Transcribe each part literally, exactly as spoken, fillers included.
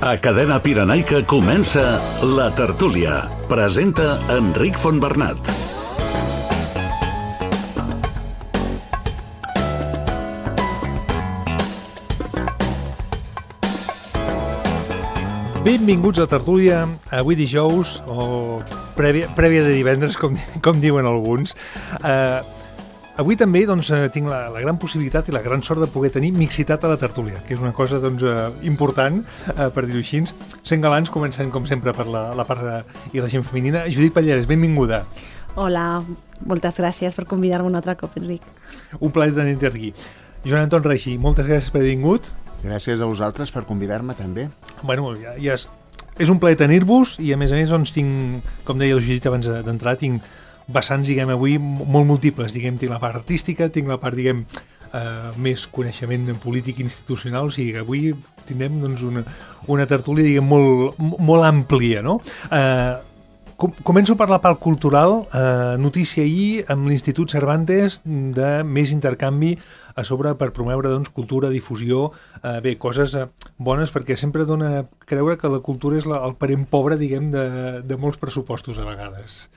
A Cadena Pirenaica comença La Tertúlia. Presenta Enric Fontbernat. Benvinguts a Tertúlia, avui dijous, o prèvia, prèvia de divendres, com, com diuen alguns. Uh, avui també doncs, tinc la, la gran possibilitat i la gran sort de poder tenir mixitat a la tertúlia, que és una cosa doncs, uh, important, uh, per dir-ho així. Sent galants, comencem com sempre per la, la part de, i la gent femenina. Judit Pallarès, benvinguda. Hola, moltes gràcies per convidar-me un altre cop, Enric. Un plaer tenir-te aquí. Joan Anton Reixí, moltes gràcies per haver vingut. Gràcies a vosaltres per convidar-me també. Bueno, ja, ja és, és un plaer tenir-vos i a més a més doncs, tinc, com deia el Judit abans d'entrar, tinc vessants, diguem, avui molt múltiples, diguem, tinc la part artística, tinc la part, diguem, eh, més coneixement polític i institucional, o sigui que avui tindrem doncs, una, una tertúlia, diguem, molt, molt àmplia, no? Eh, com, començo per la part cultural, eh, notícia ahir amb l'Institut Cervantes de més intercanvi a sobre per promoure doncs, cultura, difusió, eh, bé, coses eh, bones, perquè sempre dona creure que la cultura és la, el parent pobre, diguem, de, de molts pressupostos a vegades.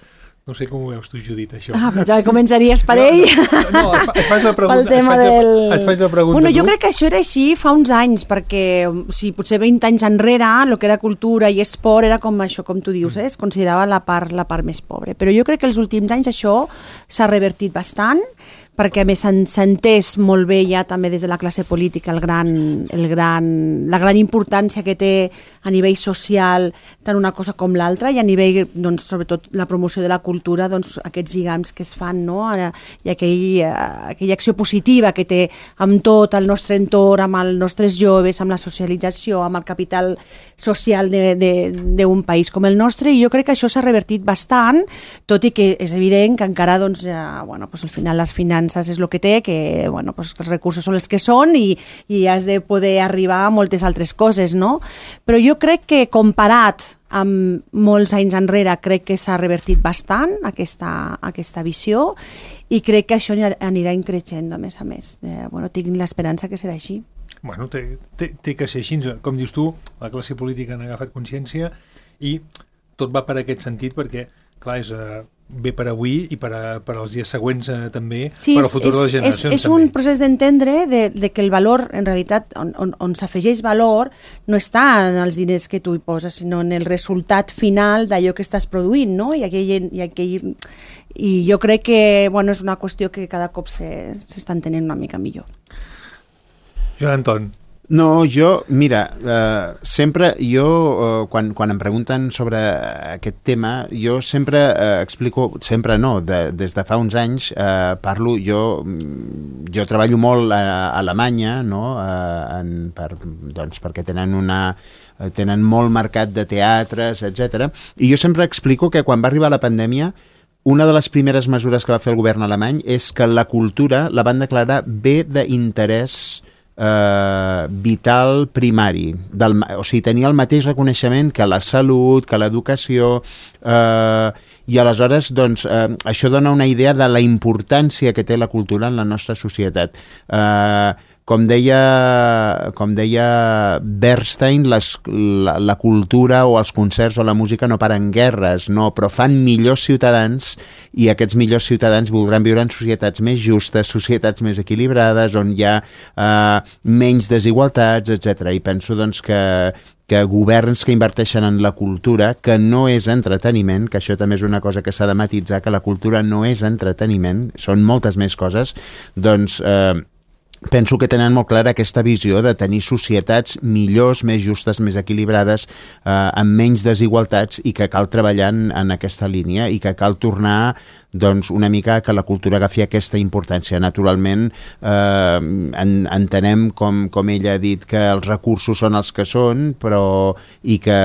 No sé com ho veus tu, Judit, això. Ah, pensava que començaries per ell. No, no, no, et faig la pregunta. Pel tema et faig, del... et faig la pregunta. Bueno, jo tu. crec que això era així fa uns anys, perquè o sigui, potser vint anys enrere, el que era cultura i esport era com això, com tu dius, eh? Es considerava la part, la part més pobra. Però jo crec que els últims anys això s'ha revertit bastant, perquè a més s'ha entès molt bé ja també des de la classe política el gran, el gran, la gran importància que té a nivell social tant una cosa com l'altra i a nivell, doncs, sobretot la promoció de la cultura, doncs, aquests lligams que es fan, no? I aquell, aquella acció positiva que té amb tot el nostre entorn, amb els nostres joves, amb la socialització, amb el capital social d'un país com el nostre, i jo crec que això s'ha revertit bastant, tot i que és evident que encara doncs, ja, bueno, doncs, al final les finances és el que té, que bueno, pues, els recursos són els que són i, i has de poder arribar a moltes altres coses, no? Però jo crec que comparat amb molts anys enrere crec que s'ha revertit bastant aquesta, aquesta visió i crec que això anirà increixent a més a més. Eh, bueno, tinc l'esperança que serà així. Bueno, té, té, té que ser així. Com dius tu, la classe política n'ha agafat consciència i tot va per aquest sentit perquè, clar, és... Uh, bé per avui i per, a, per als dies següents eh, també, sí, per al futur és, de les generacions. És, és també. un procés d'entendre de, de que el valor, en realitat, on, on, on s'afegeix valor, no està en els diners que tu hi poses, sinó en el resultat final d'allò que estàs produint, no? I, aquell, i, aquell, i jo crec que bueno, és una qüestió que cada cop s'està entenent una mica millor. Joan Anton. No, jo, mira, eh, sempre jo, eh, quan, quan em pregunten sobre aquest tema, jo sempre eh, explico, sempre no, de, des de fa uns anys eh, parlo, jo, jo treballo molt a, a Alemanya, no? eh, en, per, doncs perquè tenen una... tenen molt mercat de teatres, etcètera. I jo sempre explico que quan va arribar la pandèmia, una de les primeres mesures que va fer el govern alemany és que la cultura la van declarar bé d'interès Uh, vital primari, del, o sigui, tenia el mateix reconeixement que la salut, que l'educació, uh, i aleshores doncs, uh, això dona una idea de la importància que té la cultura en la nostra societat. Uh, com deia, com deia Bernstein, les, la, la cultura o els concerts o la música no paren guerres, no, però fan millors ciutadans i aquests millors ciutadans voldran viure en societats més justes, societats més equilibrades, on hi ha eh, menys desigualtats, etcètera. I penso doncs, que, que governs que inverteixen en la cultura, que no és entreteniment, que això també és una cosa que s'ha de matitzar, que la cultura no és entreteniment, són moltes més coses, doncs... Eh, penso que tenen molt clara aquesta visió de tenir societats millors, més justes, més equilibrades, eh, amb menys desigualtats i que cal treballar en, en aquesta línia i que cal tornar doncs, una mica que la cultura agafi aquesta importància. Naturalment, eh, en, entenem, com, com ella ha dit, que els recursos són els que són, però i que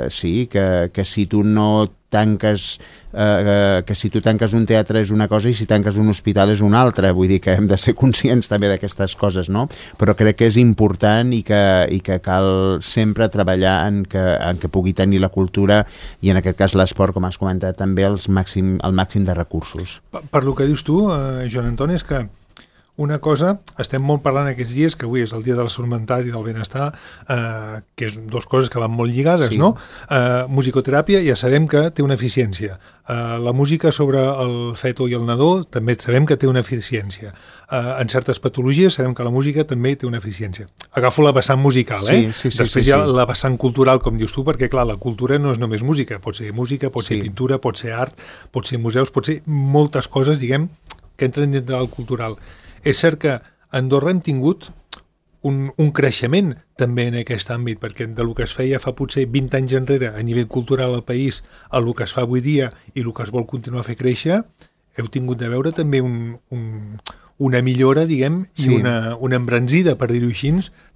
sí, que, que si tu no tanques, eh, que si tu tanques un teatre és una cosa i si tanques un hospital és una altra, vull dir que hem de ser conscients també d'aquestes coses, no? Però crec que és important i que, i que cal sempre treballar en que, en que pugui tenir la cultura i en aquest cas l'esport, com has comentat, també els màxim, el màxim de recursos. Per, per lo que dius tu, eh, Joan Anton, és que una cosa, estem molt parlant aquests dies, que avui és el dia de la salut mental i del benestar, eh, que és dues coses que van molt lligades, sí. no? Eh, musicoteràpia ja sabem que té una eficiència. Eh, la música sobre el feto i el nadó també sabem que té una eficiència. Eh, en certes patologies sabem que la música també té una eficiència. Agafo la vessant musical, eh? Sí, sí, sí, Després sí, hi ha sí. la vessant cultural, com dius tu, perquè clar, la cultura no és només música, pot ser música, pot ser Sí. pintura, pot ser art, pot ser museus, pot ser moltes coses, diguem, que entren dintre del cultural. És cert que a Andorra hem tingut un, un creixement també en aquest àmbit, perquè de lo que es feia fa potser vint anys enrere a nivell cultural al país, a lo que es fa avui dia i el que es vol continuar a fer créixer, heu tingut de veure també un, un, una millora, diguem, sí. i una, una embranzida, per dir-ho així,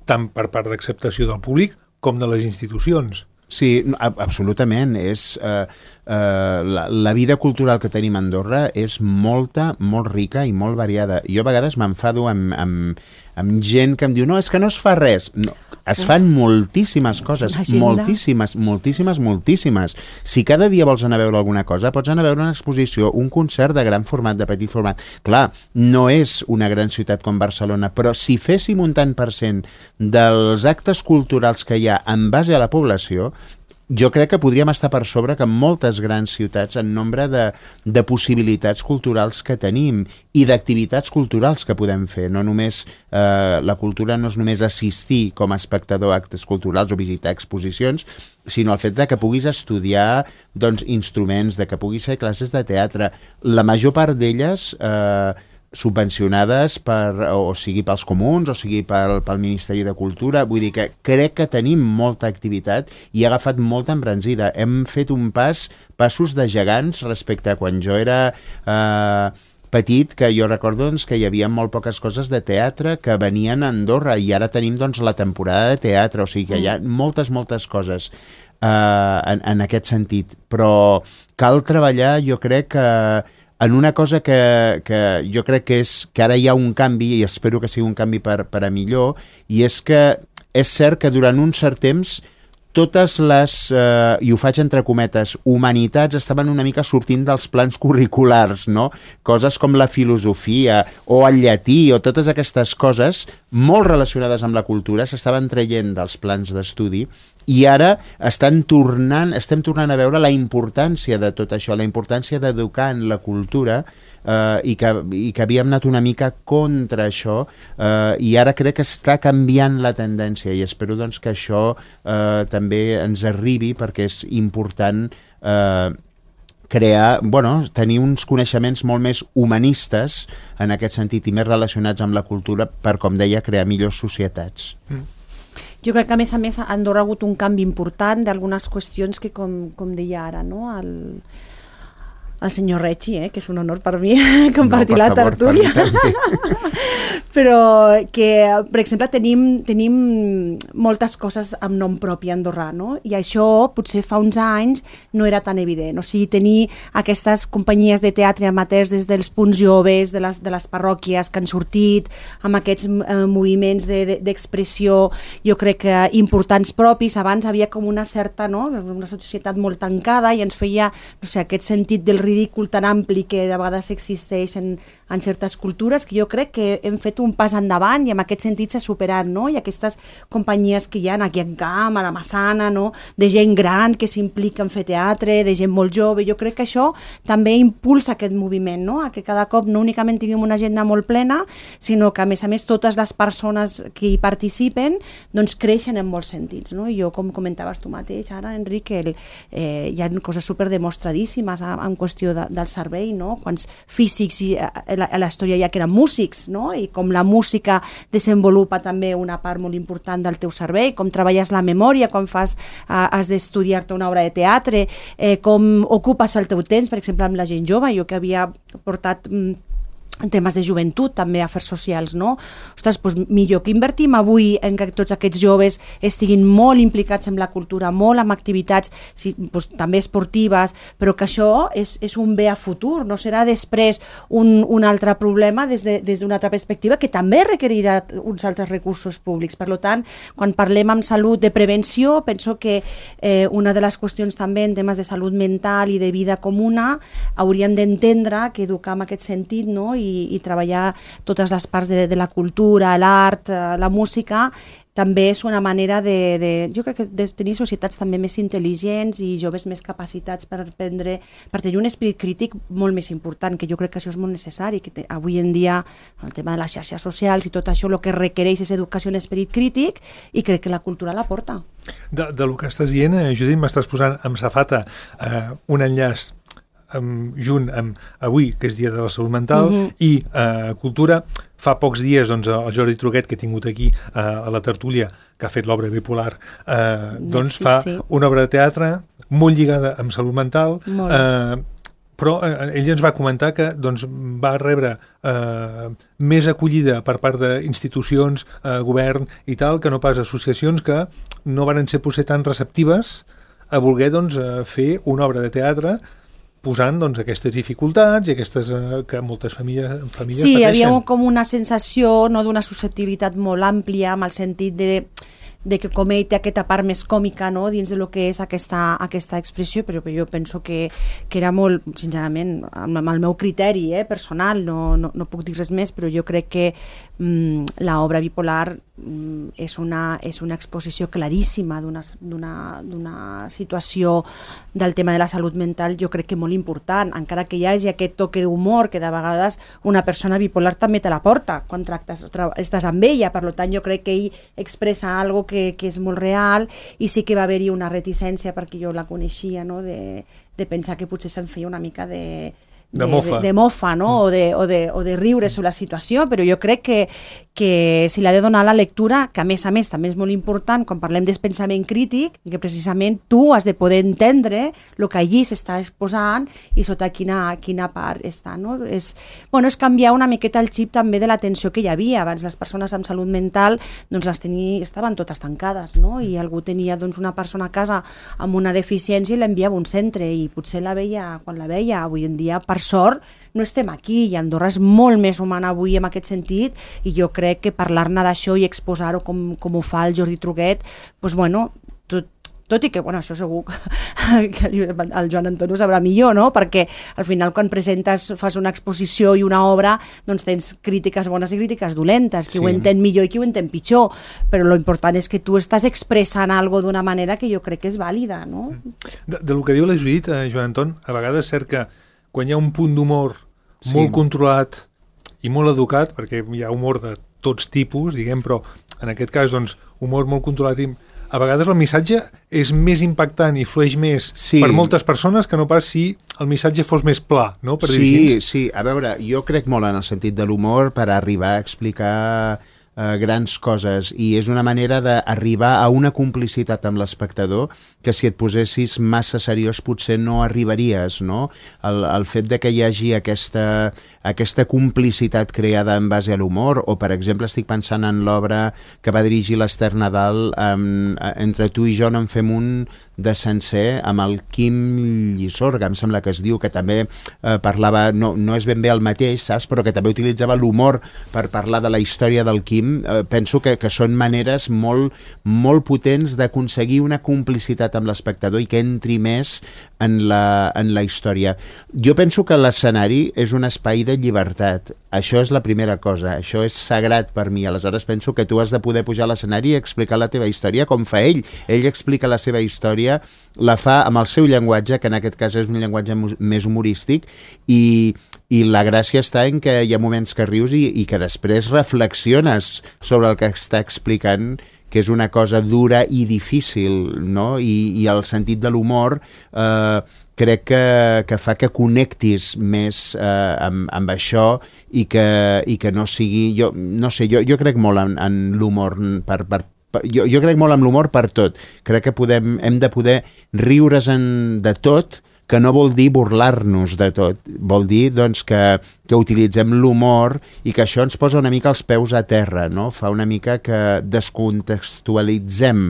tant per part d'acceptació del públic com de les institucions. Sí, absolutament. És, eh, eh, la, la vida cultural que tenim a Andorra és molta, molt rica i molt variada. Jo a vegades m'enfado amb, amb, amb gent que em diu no, és que no es fa res. No, es fan moltíssimes coses, moltíssimes, moltíssimes, moltíssimes. Si cada dia vols anar a veure alguna cosa, pots anar a veure una exposició, un concert de gran format, de petit format. Clar, no és una gran ciutat com Barcelona, però si féssim un tant per cent dels actes culturals que hi ha en base a la població, jo crec que podríem estar per sobre que moltes grans ciutats en nombre de, de possibilitats culturals que tenim i d'activitats culturals que podem fer. No només, eh, la cultura no és només assistir com a espectador a actes culturals o visitar exposicions, sinó el fet de que puguis estudiar doncs, instruments, de que puguis fer classes de teatre. La major part d'elles eh, subvencionades per, o sigui pels comuns o sigui pel, pel Ministeri de Cultura. Vull dir que crec que tenim molta activitat i ha agafat molta embranzida. Hem fet un pas, passos de gegants respecte a quan jo era eh, petit, que jo recordo doncs, que hi havia molt poques coses de teatre que venien a Andorra i ara tenim doncs, la temporada de teatre, o sigui que hi ha moltes, moltes coses eh, en, en aquest sentit. Però cal treballar, jo crec que en una cosa que, que jo crec que és que ara hi ha un canvi, i espero que sigui un canvi per, per a millor, i és que és cert que durant un cert temps totes les, eh, i ho faig entre cometes, humanitats estaven una mica sortint dels plans curriculars, no? Coses com la filosofia o el llatí o totes aquestes coses molt relacionades amb la cultura s'estaven traient dels plans d'estudi i ara estan tornant, estem tornant a veure la importància de tot això, la importància d'educar en la cultura eh, i, que, i que havíem anat una mica contra això eh, i ara crec que està canviant la tendència i espero doncs, que això eh, també ens arribi perquè és important eh, crear, bueno, tenir uns coneixements molt més humanistes en aquest sentit i més relacionats amb la cultura per, com deia, crear millors societats. Mm. Jo crec que, a més a més, a Andorra ha hagut un canvi important d'algunes qüestions que, com, com deia ara, no? el, el senyor Reggi, eh? Que és un honor per mi compartir no, per la favor, tertúlia. Però que, per exemple, tenim, tenim moltes coses amb nom propi andorrà, no? I això potser fa uns anys no era tan evident. O sigui, tenir aquestes companyies de teatre amateurs des dels punts joves, de les, de les parròquies que han sortit, amb aquests eh, moviments d'expressió, de, de, jo crec que importants propis. Abans havia com una certa, no? Una societat molt tancada i ens feia, no sé, aquest sentit del ridícul tan ampli que de vegades existeix en, en certes cultures, que jo crec que hem fet un pas endavant i en aquest sentit s'ha superat, no? I aquestes companyies que hi ha aquí en Camp, a la Massana, no? De gent gran que s'implica en fer teatre, de gent molt jove, jo crec que això també impulsa aquest moviment, no? A que cada cop no únicament tinguem una agenda molt plena, sinó que a més a més totes les persones que hi participen doncs creixen en molts sentits, no? I jo, com comentaves tu mateix ara, Enric, el, eh, hi ha coses superdemostradíssimes en qüestió de, del servei, no? Quants físics i, a, a la història ja que eren músics, no? I com la música desenvolupa també una part molt important del teu servei, com treballes la memòria quan fas, uh, has d'estudiar-te una obra de teatre, eh, com ocupes el teu temps, per exemple, amb la gent jove, jo que havia portat mm, en temes de joventut, també afers socials, no? Ostres, doncs millor que invertim avui en que tots aquests joves estiguin molt implicats en la cultura, molt amb activitats sí, doncs, també esportives, però que això és, és un bé a futur, no serà després un, un altre problema des d'una de, des altra perspectiva que també requerirà uns altres recursos públics. Per tant, quan parlem amb salut de prevenció, penso que eh, una de les qüestions també en temes de salut mental i de vida comuna hauríem d'entendre que educar en aquest sentit, no? I I, i treballar totes les parts de, de la cultura, l'art, la música, també és una manera de, de, jo crec que de tenir societats també més intel·ligents i joves més capacitats per prendre, per tenir un esperit crític molt més important, que jo crec que això és molt necessari, que te, avui en dia el tema de les xarxes socials i tot això el que requereix és educació en esperit crític i crec que la cultura la porta. De, de lo que estàs dient, eh, Judit, m'estàs posant amb safata eh, un enllaç amb, junt amb avui, que és Dia de la Salut Mental, mm-hmm. i eh, Cultura. Fa pocs dies doncs, el Jordi Truquet, que he tingut aquí eh, a la tertúlia, que ha fet l'obra Bipolar, eh, doncs sí, fa sí. una obra de teatre molt lligada amb salut mental, eh, però eh, ell ens va comentar que doncs, va rebre eh, més acollida per part d'institucions, eh, govern i tal, que no pas associacions que no van ser potser tan receptives a voler doncs, fer una obra de teatre posant doncs, aquestes dificultats i aquestes eh, que moltes famílies, famílies sí, pateixen. Sí, hi havia com una sensació no, d'una susceptibilitat molt àmplia, amb el sentit de, de que com ell té aquesta part més còmica no, dins de lo que és aquesta, aquesta expressió, però jo penso que, que era molt, sincerament, amb, amb el meu criteri eh, personal, no, no, no puc dir res més, però jo crec que mm, l'obra Bipolar mm, és, una, és una exposició claríssima d'una, d'una, d'una situació del tema de la salut mental, jo crec que molt important, encara que hi hagi aquest toque d'humor que de vegades una persona bipolar també te la porta quan tractes, estàs amb ella, per tant jo crec que ell expressa algo que, que és molt real i sí que va haver-hi una reticència perquè jo la coneixia, no? de, de pensar que potser se'n feia una mica de de, de mofa, de, de mofa no? o, de, o, de, o de riure sobre la situació, però jo crec que, que si l'ha de donar la lectura, que a més a més també és molt important quan parlem del pensament crític, que precisament tu has de poder entendre el que allí s'està exposant i sota quina, quina part està. No? És, bueno, és canviar una miqueta el xip també de l'atenció que hi havia. Abans les persones amb salut mental doncs les tenia, estaven totes tancades, no? I algú tenia doncs, una persona a casa amb una deficiència i l'enviava a un centre i potser la veia quan la veia. Avui en dia, per sort, no estem aquí i Andorra és molt més humana avui en aquest sentit i jo crec que parlar-ne d'això i exposar-ho com, com ho fa el Jordi Truquet, doncs bueno, tot, tot i que, bueno, això segur que el Joan Anton ho sabrà millor, no? Perquè al final quan presentes, fas una exposició i una obra, doncs tens crítiques bones i crítiques dolentes, qui sí. ho entén millor i qui ho entén pitjor, però l'important és que tu estàs expressant alguna cosa d'una manera que jo crec que és vàlida, no? De, de lo que diu la Judit, eh, Joan Anton, a vegades és cert que quan hi ha un punt d'humor sí. molt controlat i molt educat, perquè hi ha humor de tots tipus, diguem, però en aquest cas, doncs, humor molt controlat i a vegades el missatge és més impactant i flueix més sí. per moltes persones que no pas si el missatge fos més pla, no? Per sí, sí, a veure, jo crec molt en el sentit de l'humor per arribar a explicar eh, grans coses i és una manera d'arribar a una complicitat amb l'espectador que si et posessis massa seriós potser no arribaries, no? El, el fet de que hi hagi aquesta, aquesta complicitat creada en base a l'humor, o per exemple estic pensant en l'obra que va dirigir l'Ester Nadal, um, Entre tu i jo no en fem un de sencer, amb el Quim Llisorga, em sembla que es diu, que també eh, parlava, no, no és ben bé el mateix, saps? Però que també utilitzava l'humor per parlar de la història del Quim. Eh, penso que, que són maneres molt, molt potents d'aconseguir una complicitat amb l'espectador i que entri més en la, en la història. Jo penso que l'escenari és un espai de llibertat. Això és la primera cosa. Això és sagrat per mi. Aleshores penso que tu has de poder pujar a l'escenari i explicar la teva història com fa ell. Ell explica la seva història, la fa amb el seu llenguatge, que en aquest cas és un llenguatge més humorístic, i, i la gràcia està en que hi ha moments que rius i, i que després reflexiones sobre el que està explicant, que és una cosa dura i difícil, no? I, i el sentit de l'humor eh, crec que, que fa que connectis més eh, amb, amb això i que, i que no sigui... Jo, no sé, jo, jo crec molt en, en l'humor per, per Jo, jo crec molt en l'humor per tot. Crec que podem, hem de poder riure's en, de tot, que no vol dir burlar-nos de tot. Vol dir doncs, que, que utilitzem l'humor i que això ens posa una mica els peus a terra, no? Fa una mica que descontextualitzem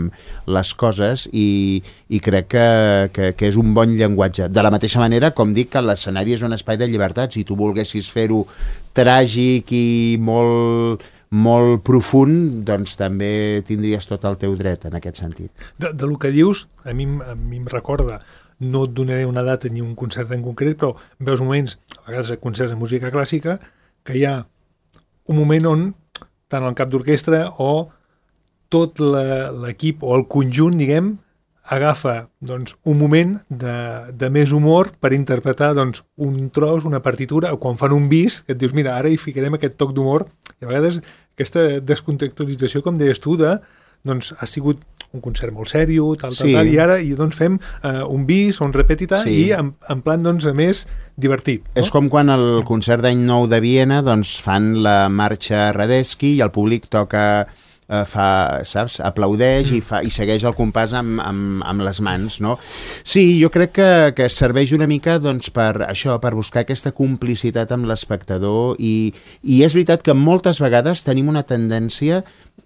les coses i, i crec que, que, que és un bon llenguatge. De la mateixa manera, com dic, que l'escenari és un espai de llibertat. Si tu volguessis fer-ho tràgic i molt... molt profund, doncs també tindries tot el teu dret en aquest sentit. De, de lo que dius, a mi, a mi em recorda, no et donaré una data ni un concert en concret, però veus moments, a vegades concerts de música clàssica, que hi ha un moment on tant el cap d'orquestra o tot l'equip o el conjunt, diguem, agafa doncs, un moment de, de més humor per interpretar doncs, un tros, una partitura, o quan fan un bis, que et dius, mira, ara hi ficarem aquest toc d'humor, i a vegades aquesta descontextualització, com deies tu, de, doncs, ha sigut un concert molt sèrio, tal, tal, sí. tal, i ara i, doncs, fem uh, un bis o un repetita sí. i en, en plan doncs, més divertit. No? És com quan al concert d'any nou de Viena doncs, fan la marxa Radetzky i el públic toca... Uh, fa, saps, aplaudeix mm. i, fa, i segueix el compàs amb, amb, amb les mans, no? Sí, jo crec que, que serveix una mica doncs, per això, per buscar aquesta complicitat amb l'espectador i, i és veritat que moltes vegades tenim una tendència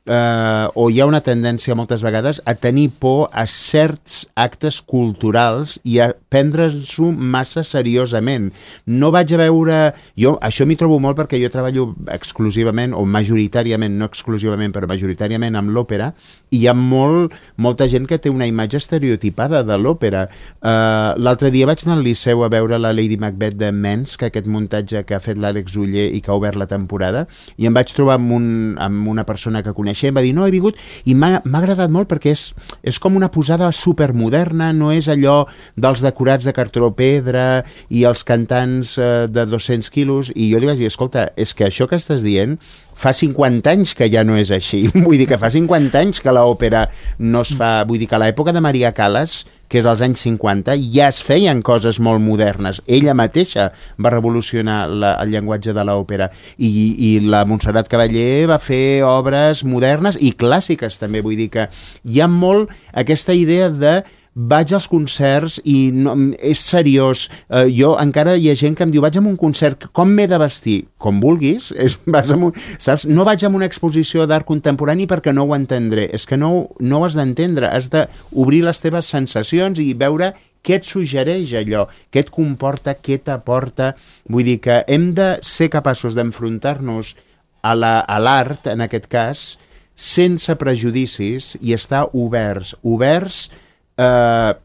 eh, o hi ha una tendència moltes vegades a tenir por a certs actes culturals i a prendre'ns-ho massa seriosament. No vaig a veure... Jo això m'hi trobo molt perquè jo treballo exclusivament, o majoritàriament, no exclusivament, però majoritàriament amb l'òpera, i hi ha molt, molta gent que té una imatge estereotipada de l'òpera. Uh, L'altre dia vaig anar al Liceu a veure la Lady Macbeth de Menz, que aquest muntatge que ha fet l'Àlex Oller i que ha obert la temporada, i em vaig trobar amb, un, amb una persona que coneixia i em va dir, no, he vingut, i m'ha agradat molt perquè és, és com una posada supermoderna, no és allò dels decorats de cartró pedra i els cantants uh, de dos-cents quilos, i jo li vaig dir, escolta, és que això que estàs dient fa cinquanta anys que ja no és així. Vull dir que fa cinquanta anys que l'òpera no es fa... Vull dir que a l'època de Maria Callas, que és als anys cinquanta, ja es feien coses molt modernes. Ella mateixa va revolucionar la, el llenguatge de l'òpera. I, I la Montserrat Cavallé va fer obres modernes i clàssiques també. Vull dir que hi ha molt aquesta idea de vaig als concerts i no, és seriós. Uh, jo encara hi ha gent que em diu vaig a un concert, com m'he de vestir? Com vulguis, és, vas a un, saps? No vaig a una exposició d'art contemporani perquè no ho entendré. És que no, no ho has d'entendre, has d'obrir les teves sensacions i veure què et suggereix allò, què et comporta, què t'aporta. Vull dir que hem de ser capaços d'enfrontar-nos a l'art, en aquest cas, sense prejudicis i estar oberts, oberts Uh,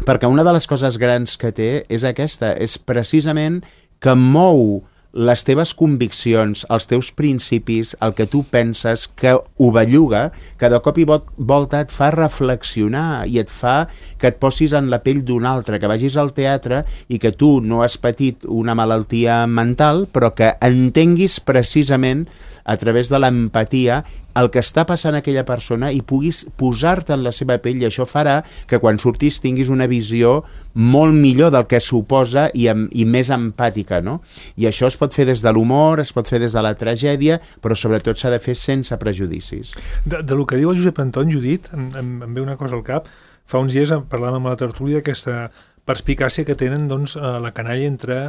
perquè una de les coses grans que té és aquesta, és precisament que mou les teves conviccions, els teus principis, el que tu penses, que ho belluga, que de cop i volta et fa reflexionar i et fa que et posis en la pell d'un altre, que vagis al teatre i que tu no has patit una malaltia mental, però que entenguis precisament a través de l'empatia el que està passant a aquella persona i puguis posar-te en la seva pell, i això farà que quan surtis tinguis una visió molt millor del que suposa i, amb, i més empàtica, no? I això es pot fer des de l'humor, es pot fer des de la tragèdia, però sobretot s'ha de fer sense prejudicis. De, de lo que diu el Josep Anton, Judit, em, em, em ve una cosa al cap. Fa uns dies parlàvem amb la tertúlia d'aquesta perspicàcia que tenen doncs, la canalla entre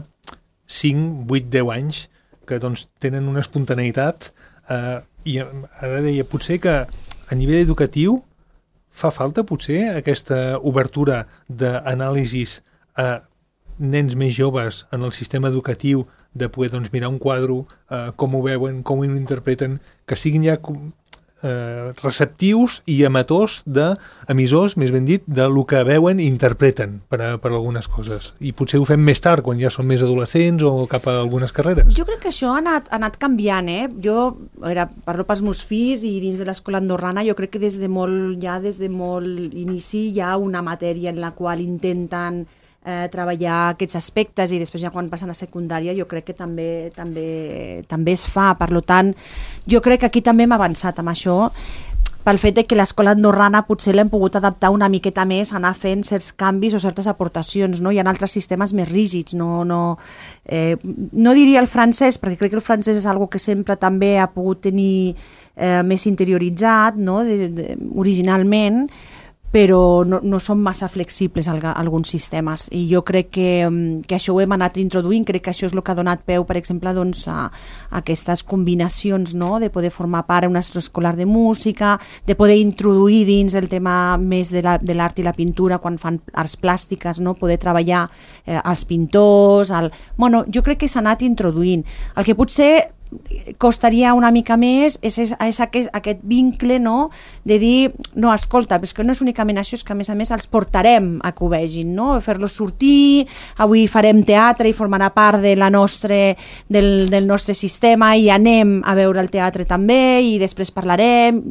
cinc, vuit, deu anys, que doncs, tenen una espontaneïtat eh, i ara deia, potser que a nivell educatiu fa falta potser aquesta obertura d'anàlisis a nens més joves en el sistema educatiu de poder doncs, mirar un quadre, eh, com ho veuen, com ho interpreten, que siguin ja eh, receptius i emetors d'emissors, més ben dit, de lo que veuen i interpreten per, a, per a algunes coses. I potser ho fem més tard, quan ja són més adolescents o cap a algunes carreres. Jo crec que això ha anat, ha anat canviant, eh? Jo era, parlo pels meus fills i dins de l'escola andorrana jo crec que des de molt, ja des de molt inici hi ha una matèria en la qual intenten Eh, treballar aquests aspectes i després ja quan passen a secundària jo crec que també, també, també es fa. Per tant, jo crec que aquí també hem avançat amb això pel fet de que l'escola andorrana potser l'hem pogut adaptar una miqueta més, anar fent certs canvis o certes aportacions, no? Hi ha altres sistemes més rígids, no, no, eh, no diria el francès, perquè crec que el francès és algo que sempre també ha pogut tenir eh, més interioritzat, no? de, de, originalment, però no, no són massa flexibles alguns sistemes, i jo crec que, que això ho hem anat introduint. Crec que això és el que ha donat peu, per exemple, doncs, a, a aquestes combinacions, no? De poder formar part d'un centre escolar de música, de poder introduir dins el tema més de l'art i la pintura quan fan arts plàstiques, no? Poder treballar eh, els pintors, el... bueno, jo crec que s'ha anat introduint. El que potser costaria una mica més és, és, és aquest, aquest vincle, no?, de dir, no, escolta, és que no és únicament això, és que a més a més els portarem a que ho vegin, no?, fer-los sortir, avui farem teatre i formarà part de la nostre, del, del nostre sistema i anem a veure el teatre també i després parlarem.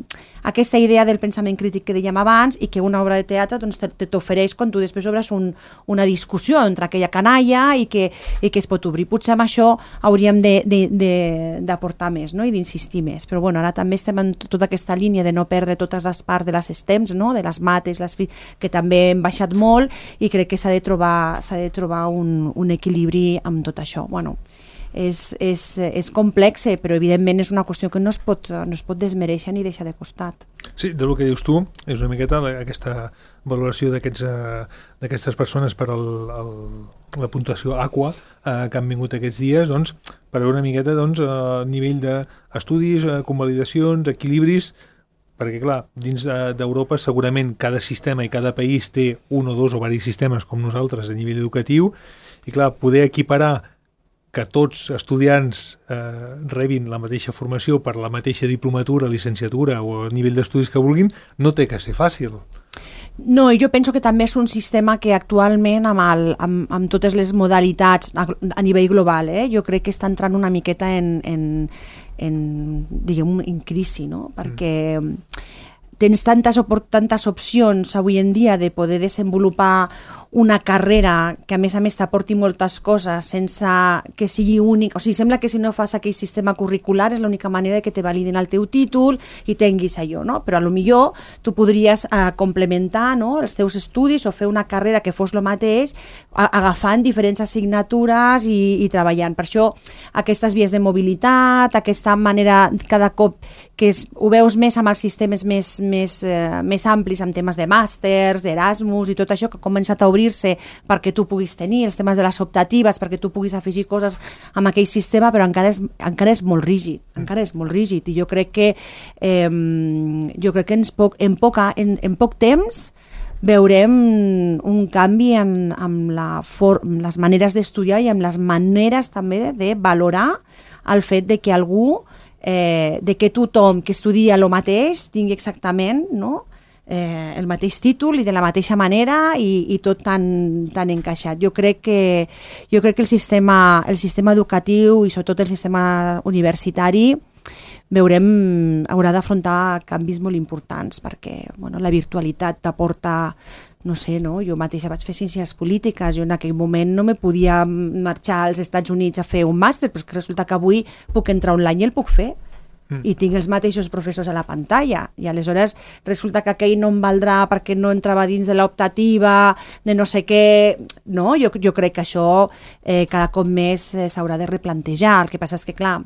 Aquesta idea del pensament crític que dèiem abans i que una obra de teatre doncs, t'ofereix quan tu després obres un, una discussió entre aquella canalla i que, i que es pot obrir. Potser amb això hauríem d'aportar més, no?, i d'insistir més. Però bueno, ara també estem en tota aquesta línia de no perdre totes les parts de les stems, no?, de les mates, les, que també hem baixat molt i crec que s'ha de trobar, s'ha de trobar un, un equilibri amb tot això. Bueno, És, és, és complex, però evidentment és una qüestió que no es pot, no es pot desmereixer ni deixar de costat. Sí, del que dius tu, és una miqueta aquesta valoració d'aquestes persones per el, el, la puntuació Aqua eh, que han vingut aquests dies, doncs, per veure una miqueta doncs, a nivell d'estudis, convalidacions, equilibris, perquè clar, dins d'Europa segurament cada sistema i cada país té un o dos o diversos sistemes com nosaltres a nivell educatiu, i clar, poder equiparar que tots estudiants eh, rebin la mateixa formació per la mateixa diplomatura, licenciatura o nivell d'estudis que vulguin, no té que ser fàcil. No, jo penso que també és un sistema que actualment amb, el, amb, amb totes les modalitats a, a nivell global, eh, jo crec que està entrant una miqueta en, en, en, diguem, en crisi, no? Perquè tens tantes, tantes opcions avui en dia de poder desenvolupar una carrera que a més a més t'aporti moltes coses sense que sigui únic, o sigui, sembla que si no fas aquell sistema curricular és l'única manera que te validen el teu títol i tinguis allò, no? Però a lo millor tu podries eh, complementar, no?, els teus estudis o fer una carrera que fos el mateix a, agafant diferents assignatures i, i treballant. Per això aquestes vies de mobilitat, aquesta manera cada cop que es, ho veus més amb els sistemes més, més, eh, més amplis, amb temes de màsters, d'Erasmus i tot això que ha començat a obrir perquè tu puguis tenir, els temes de les optatives, perquè tu puguis afegir coses amb aquell sistema, però encara és, encara és molt rígid, encara és molt rígid, i jo crec que eh, jo crec que en poc, en, poca, en, en poc temps veurem un canvi en, en, la for, en les maneres d'estudiar i en les maneres també de, de valorar el fet de que algú, eh, de que tothom que estudia el mateix tingui exactament, no?, Eh, el mateix títol i de la mateixa manera i, i tot tan, tan encaixat. Jo crec que, jo crec que el, sistema, el sistema educatiu i sobretot el sistema universitari veurem, haurà d'afrontar canvis molt importants perquè bueno, la virtualitat t'aporta, no sé, no? Jo mateixa vaig fer ciències polítiques, jo en aquell moment no me podia marxar als Estats Units a fer un màster, però és que resulta que avui puc entrar online i el puc fer. I tinc els mateixos professors a la pantalla i aleshores resulta que aquell no em valdrà perquè no entrava dins de l'optativa de no sé què, no? Jo, jo crec que això eh, cada cop més eh, s'haurà de replantejar. El que passa és que clar,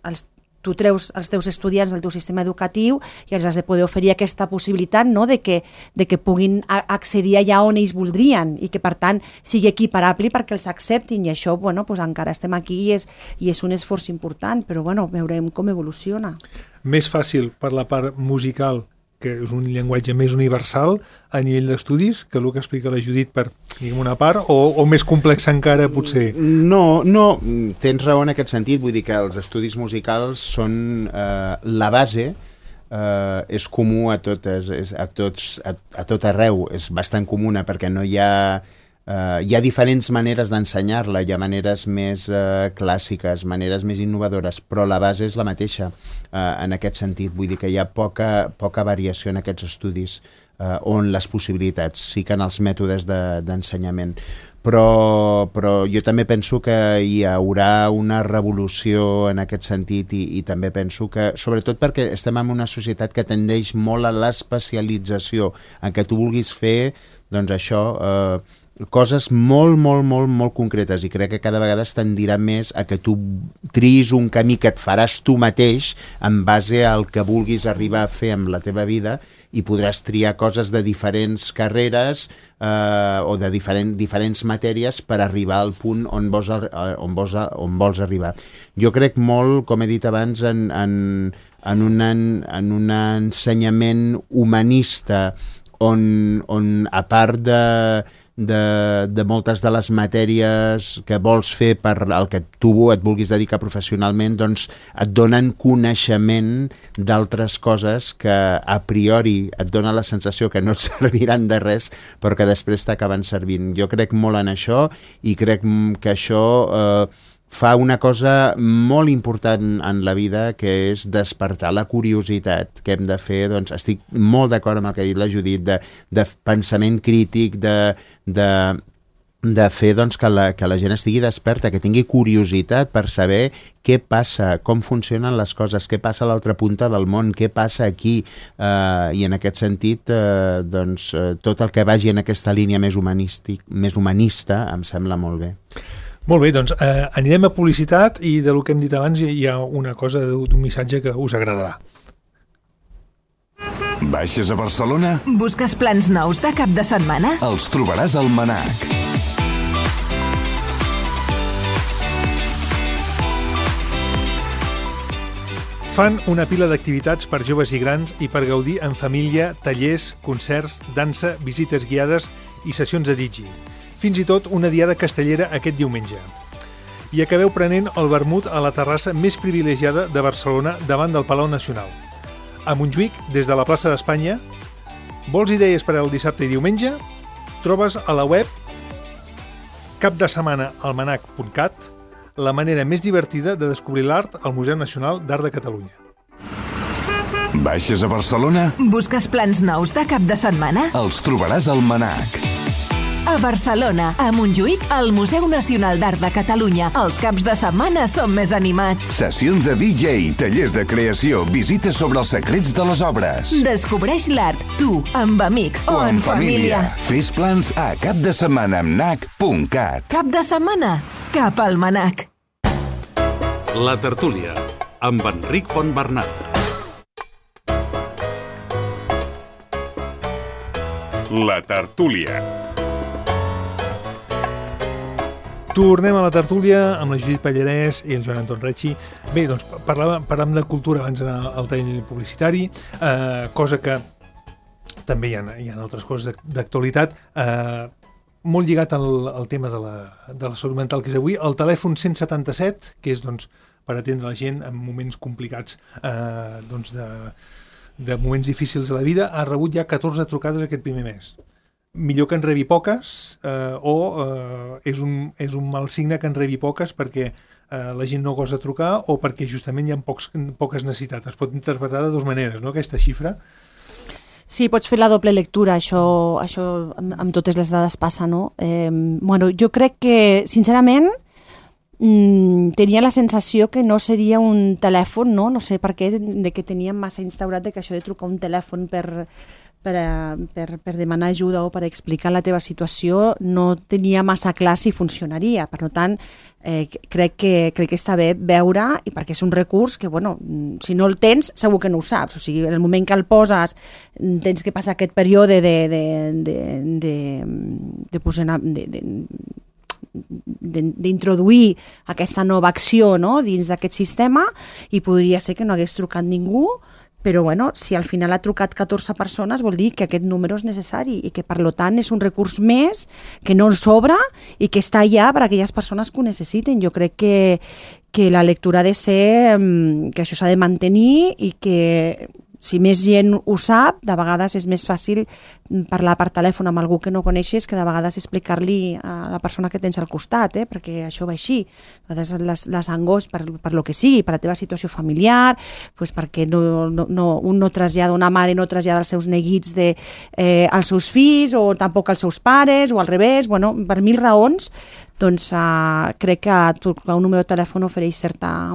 els tu treus els teus estudiants del teu sistema educatiu i els has de poder oferir aquesta possibilitat, no?, de, que, de que puguin accedir allà on ells voldrien i que per tant sigui equiparable perquè els acceptin i això, bueno, pues encara estem aquí i és, i és un esforç important, però bueno, veurem com evoluciona. Més fàcil per la part musical, que és un llenguatge més universal a nivell d'estudis, que el que explica la Judit per, diguem, una part, o, o més complex encara potser? No, no, tens raó en aquest sentit, vull dir que els estudis musicals són eh, la base, eh, és comú a totes, és, a, tots, a, a tot arreu, és bastant comuna perquè no hi ha... Uh, hi ha diferents maneres d'ensenyar-la, hi ha maneres més uh, clàssiques, maneres més innovadores, però la base és la mateixa uh, en aquest sentit. Vull dir que hi ha poca, poca variació en aquests estudis uh, on les possibilitats, sí que en els mètodes d'ensenyament. De, però, però jo també penso que hi haurà una revolució en aquest sentit i, i també penso que, sobretot perquè estem en una societat que tendeix molt a l'especialització, en què tu vulguis fer, doncs això... Uh, coses molt, molt, molt, molt concretes i crec que cada vegada es tendirà més a que tu triïs un camí que et faràs tu mateix en base al que vulguis arribar a fer amb la teva vida i podràs triar coses de diferents carreres eh, o de diferent, diferents matèries per arribar al punt on vols, on, vols, on vols arribar. Jo crec molt, com he dit abans, en, en, en, un, en un ensenyament humanista on, on a part de de, de moltes de les matèries que vols fer per el que tu et vulguis dedicar professionalment, doncs et donen coneixement d'altres coses que a priori et dona la sensació que no et serviran de res, però que després t'acaben servint. Jo crec molt en això i crec que això eh, fa una cosa molt important en la vida, que és despertar la curiositat que hem de fer. Doncs estic molt d'acord amb el que ha dit la Judit, de, de pensament crític, de, de, de fer doncs, que, la, que la gent estigui desperta, que tingui curiositat per saber què passa, com funcionen les coses, què passa a l'altra punta del món, què passa aquí, eh, i en aquest sentit eh, doncs, eh, tot el que vagi en aquesta línia més, humanístic, més humanista em sembla molt bé. Molt bé, doncs eh, anirem a publicitat i del que hem dit abans hi ha una cosa d'un missatge que us agradarà. Baixes a Barcelona? Busques plans nous de cap de setmana? Els trobaràs al Manac. Fan una pila d'activitats per joves i grans i per gaudir en família, tallers, concerts, dansa, visites guiades i sessions de digi. Fins i tot una diada castellera aquest diumenge. I acabeu prenent el vermut a la terrassa més privilegiada de Barcelona davant del Palau Nacional. A Montjuïc, des de la plaça d'Espanya, vols idees per al dissabte i diumenge? Trobes a la web capdesetmanaalmanac punt cat la manera més divertida de descobrir l'art al Museu Nacional d'Art de Catalunya. Baixes a Barcelona? Busques plans nous de cap de setmana? Els trobaràs al Manac. A Barcelona, a Montjuïc, al Museu Nacional d'Art de Catalunya. Els caps de setmana són més animats. Sessions de D J, tallers de creació, visites sobre els secrets de les obres. Descobreix l'art, tu, amb amics o, o en, en família. família. Fes plans a capdesetmanaalmanac punt cat. Cap de setmana, cap al Manac. La tertúlia, amb Enric Fontbernat. La tertúlia. Tornem a la tertúlia amb la Judit Pallarès i el Joan Anton Recci. Bé, doncs parlàvem, parlàvem de cultura abans d'anar al tall publicitari, eh, cosa que també hi ha, hi ha altres coses d'actualitat, eh, molt lligat al, al tema de la, de la salut mental que és avui. El telèfon cent setanta-set, que és doncs, per atendre la gent en moments complicats, eh, doncs de, de moments difícils de la vida, ha rebut ja catorze trucades aquest primer mes. Millor que en rebi poques eh, o eh, és, un, és un mal signe que en rebi poques perquè eh, la gent no gosa trucar o perquè justament hi ha pocs, poques necessitats. Es pot interpretar de dues maneres, no?, aquesta xifra. Sí, pots fer la doble lectura, això, això amb, amb totes les dades passa, no? Eh, bueno, jo crec que, sincerament, mm, tenia la sensació que no seria un telèfon, no? No sé per què, de que teníem massa instaurat de que això de trucar un telèfon per... Per, per, per demanar ajuda o per explicar la teva situació no tenia massa clar si funcionaria. Per tant, eh, crec, que, crec que està bé veure, i perquè és un recurs que, bueno, si no el tens, segur que no ho saps. O sigui, en el moment que el poses, tens que passar aquest període de, de, de, de, de, posar, de, de d'introduir aquesta nova acció, no?, dins d'aquest sistema, i podria ser que no hagués trucat ningú, però bueno, si al final ha trucat catorze persones vol dir que aquest número és necessari i que per tant és un recurs més que no ens sobra i que està allà per a aquelles persones que ho necessiten. Jo crec que, que la lectura ha de ser que això s'ha de mantenir i que si més gent ho sap, de vegades és més fàcil parlar per telèfon amb algú que no coneixes que de vegades explicar-li a la persona que tens al costat, eh? Perquè això va així. A vegades les, les angos, per, per lo que sigui, per la teva situació familiar, pues perquè no, no, no, un no trasllada, una mare no trasllada els seus neguits de, eh, als seus fills o tampoc als seus pares o al revés, bueno, per mil raons, doncs uh, crec que trucar un número de telèfon ofereix certa,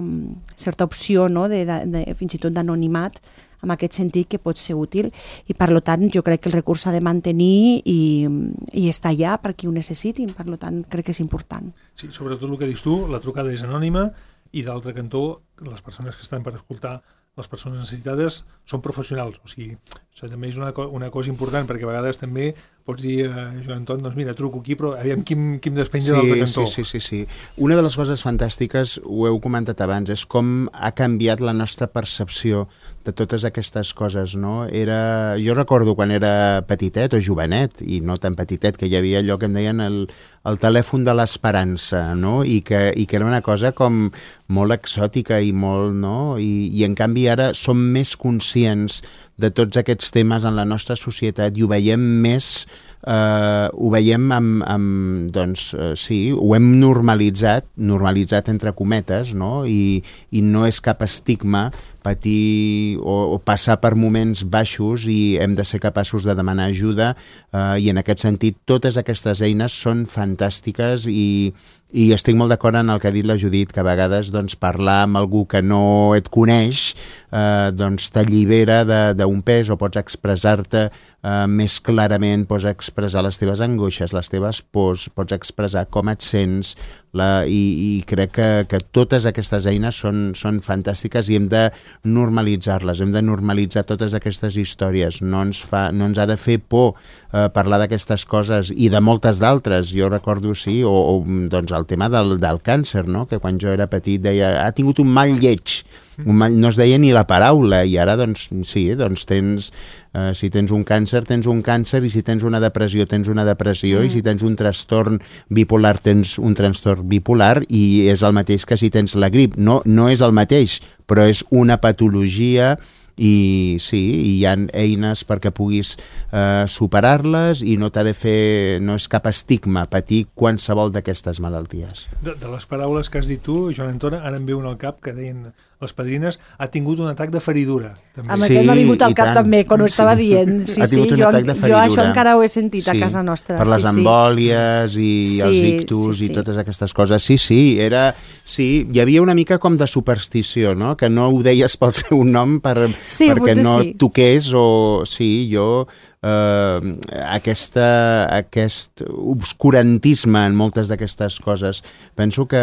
certa opció, no?, de, de, de, fins i tot d'anonimat, en aquest sentit que pot ser útil, i per tant jo crec que el recurs s'ha de mantenir i, i està allà per qui ho necessitin, per tant crec que és important. Sí, sobretot el que dius tu, la trucada és anònima i d'altre cantó les persones que estan per escoltar, les persones necessitades són professionals, o sigui, això també és una, una cosa important perquè a vegades també pots dir a Joan Anton, doncs mira, truco aquí, però aviam qui, qui em despenja sí, de l'altre cantó. Sí, sí, sí, sí. Una de les coses fantàstiques, ho heu comentat abans, és com ha canviat la nostra percepció de totes aquestes coses, no? Era... Jo recordo quan era petitet o jovenet, i no tan petitet, que hi havia allò que en deien el, el telèfon de l'esperança, no? I que, i que era una cosa com molt exòtica i molt, no? I, i en canvi ara som més conscients de tots aquests temes en la nostra societat i ho veiem més, eh, ho veiem amb, amb doncs, eh, sí, ho hem normalitzat, normalitzat entre cometes, no? I, i no és cap estigma patir o, o passar per moments baixos i hem de ser capaços de demanar ajuda eh, i en aquest sentit totes aquestes eines són fantàstiques i, i estic molt d'acord en el que ha dit la Judit, que a vegades doncs, parlar amb algú que no et coneix eh, doncs t'allibera d'un pes o pots expressar-te eh, més clarament, pots expressar les teves angoixes, les teves pors, pots expressar com et sents la, i, i crec que, que totes aquestes eines són, són fantàstiques i hem de normalitzar-les, hem de normalitzar totes aquestes històries, no ens, fa, no ens ha de fer por eh, parlar d'aquestes coses i de moltes d'altres, jo recordo sí, o, o doncs el tema del, del càncer, no? Que quan jo era petit deia, ha tingut un mal lleig, un mal, no es deia ni la paraula i ara doncs sí, doncs tens eh, si tens un càncer, tens un càncer i si tens una depressió, tens una depressió mm. i si tens un trastorn bipolar, tens un trastorn bipolar i és el mateix que si tens la grip, no, no és el mateix, però és una patologia i sí, hi ha eines perquè puguis eh, superar-les i no t'ha de fer, no és cap estigma patir qualsevol d'aquestes malalties. De, de les paraules que has dit tu, Joan Anton, ara em ve un al cap que deien les padrines, ha tingut un atac de feridura. També. Amb sí, aquest m'ha vingut al cap tant. També, quan ho estava sí. dient. Sí, ha tingut sí, un jo, atac de feridura. Jo això encara ho he sentit sí. a casa nostra. Per les sí, embòlies i sí, els ictus sí, sí. i totes aquestes coses. Sí, sí, era... Sí, hi havia una mica com de superstició, no? Que no ho deies pel seu nom per, sí, perquè no sí. toqués o... Sí, jo... Uh, aquesta, aquest obscurantisme en moltes d'aquestes coses penso que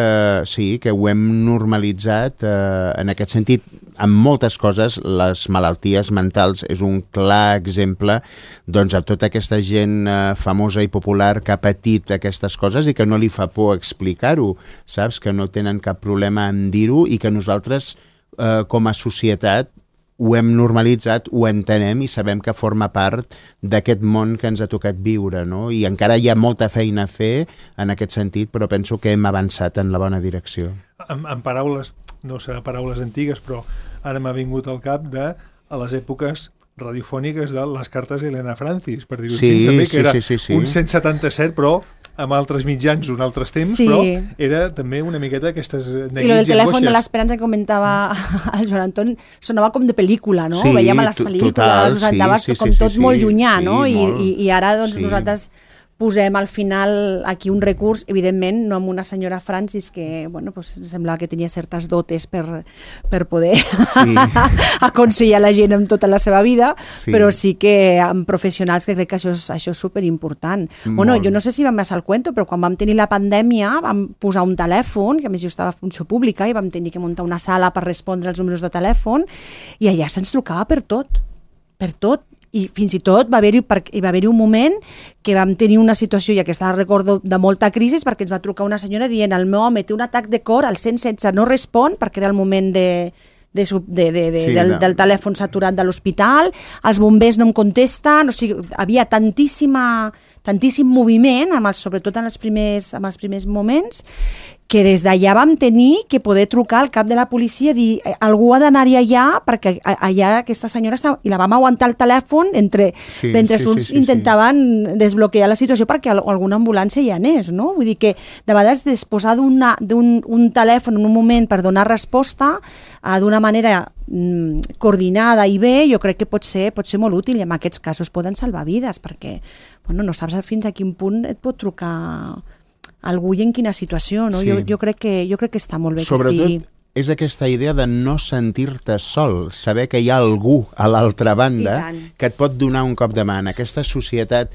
sí, que ho hem normalitzat uh, en aquest sentit en moltes coses. Les malalties mentals és un clar exemple doncs a tota aquesta gent uh, famosa i popular que ha patit aquestes coses i que no li fa por explicar-ho, saps? Que no tenen cap problema en dir-ho i que nosaltres uh, com a societat ho hem normalitzat, ho entenem i sabem que forma part d'aquest món que ens ha tocat viure, no? I encara hi ha molta feina a fer en aquest sentit, però penso que hem avançat en la bona direcció. En, en paraules, no serà paraules antigues, però ara m'ha vingut al cap de a les èpoques radiofòniques de les cartes d'Helena Francis, per dir-ho sí, també, que sí, era sí, sí, sí. un cent setanta-set, però amb altres mitjans, un altres temps, sí. però era també una miqueta aquestes neguits i I el del telèfon angoixes. de l'esperança que comentava el Joan Anton sonava com de pel·lícula, no? Sí, Veiem a les pel·lícules, total, us andaves sí, sí, com sí, tot sí, molt llunyà, sí, no? I, molt, i, I ara doncs sí. nosaltres posem al final aquí un recurs, evidentment, no amb una senyora Francis que, bueno, pues, semblava que tenia certes dotes per, per poder sí. aconsellar la gent amb tota la seva vida, sí. però sí que amb professionals que crec que això és, això és superimportant. Molt. Bueno, jo no sé si vam passar el cuento, però quan vam tenir la pandèmia vam posar un telèfon, que a més jo estava a funció pública i vam tenir que muntar una sala per respondre als números de telèfon i allà se'ns trucava per tot, per tot. I fins i tot va haver-hi va haver un moment que vam tenir una situació, i aquesta recordo, de molta crisi, perquè ens va trucar una senyora dient el meu home té un atac de cor, al cent setze no respon, perquè era el moment de, de, de, de, de, sí, del, no. del telèfon saturat de l'hospital, els bombers no em contesten, o sigui, havia tantíssima, tantíssim moviment, amb els, sobretot en els primers, en els primers moments, que des d'allà vam tenir que poder trucar al cap de la policia i dir algú ha d'anar-hi allà perquè allà aquesta senyora estava, i la vam aguantar el telèfon entre, sí, mentre sí, uns sí, sí, intentaven sí. desbloquejar la situació perquè alguna ambulància hi anés, no? Vull dir que de vegades disposar d'un un telèfon en un moment per donar resposta uh, d'una manera mm, coordinada i bé, jo crec que pot ser, pot ser molt útil i en aquests casos poden salvar vides perquè bueno, no saps fins a quin punt et pot trucar algú i en quina situació, no? Sí. Jo, jo, crec que, jo crec que està molt bé Sobretot, que estigui. És aquesta idea de no sentir-te sol, saber que hi ha algú a l'altra banda que et pot donar un cop de mà. En aquesta societat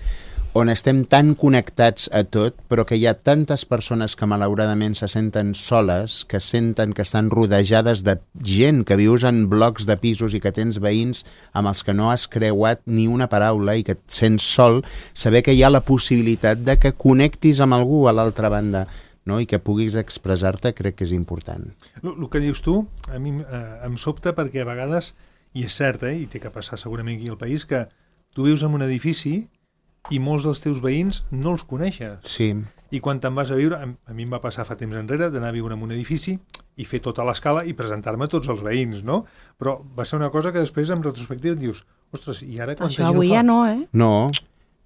on estem tan connectats a tot, però que hi ha tantes persones que malauradament se senten soles, que senten que estan rodejades de gent, que vius en blocs de pisos i que tens veïns amb els que no has creuat ni una paraula i que et sents sol, saber que hi ha la possibilitat de que connectis amb algú a l'altra banda, no? I que puguis expressar-te, crec que és important. El que dius tu, a mi eh, em sobta perquè a vegades, i és cert, eh, i té que passar segurament aquí al país, que tu vius en un edifici i molts dels teus veïns no els coneixes. Sí. I quan te'n vas a viure, a, a mi em va passar fa temps enrere d'anar a viure en un edifici i fer tota l'escala i presentar-me a tots els veïns, no? Però va ser una cosa que després, en retrospectiva, et dius, ostres, i ara quanta Això gent avui ho fa? ja no, eh? No.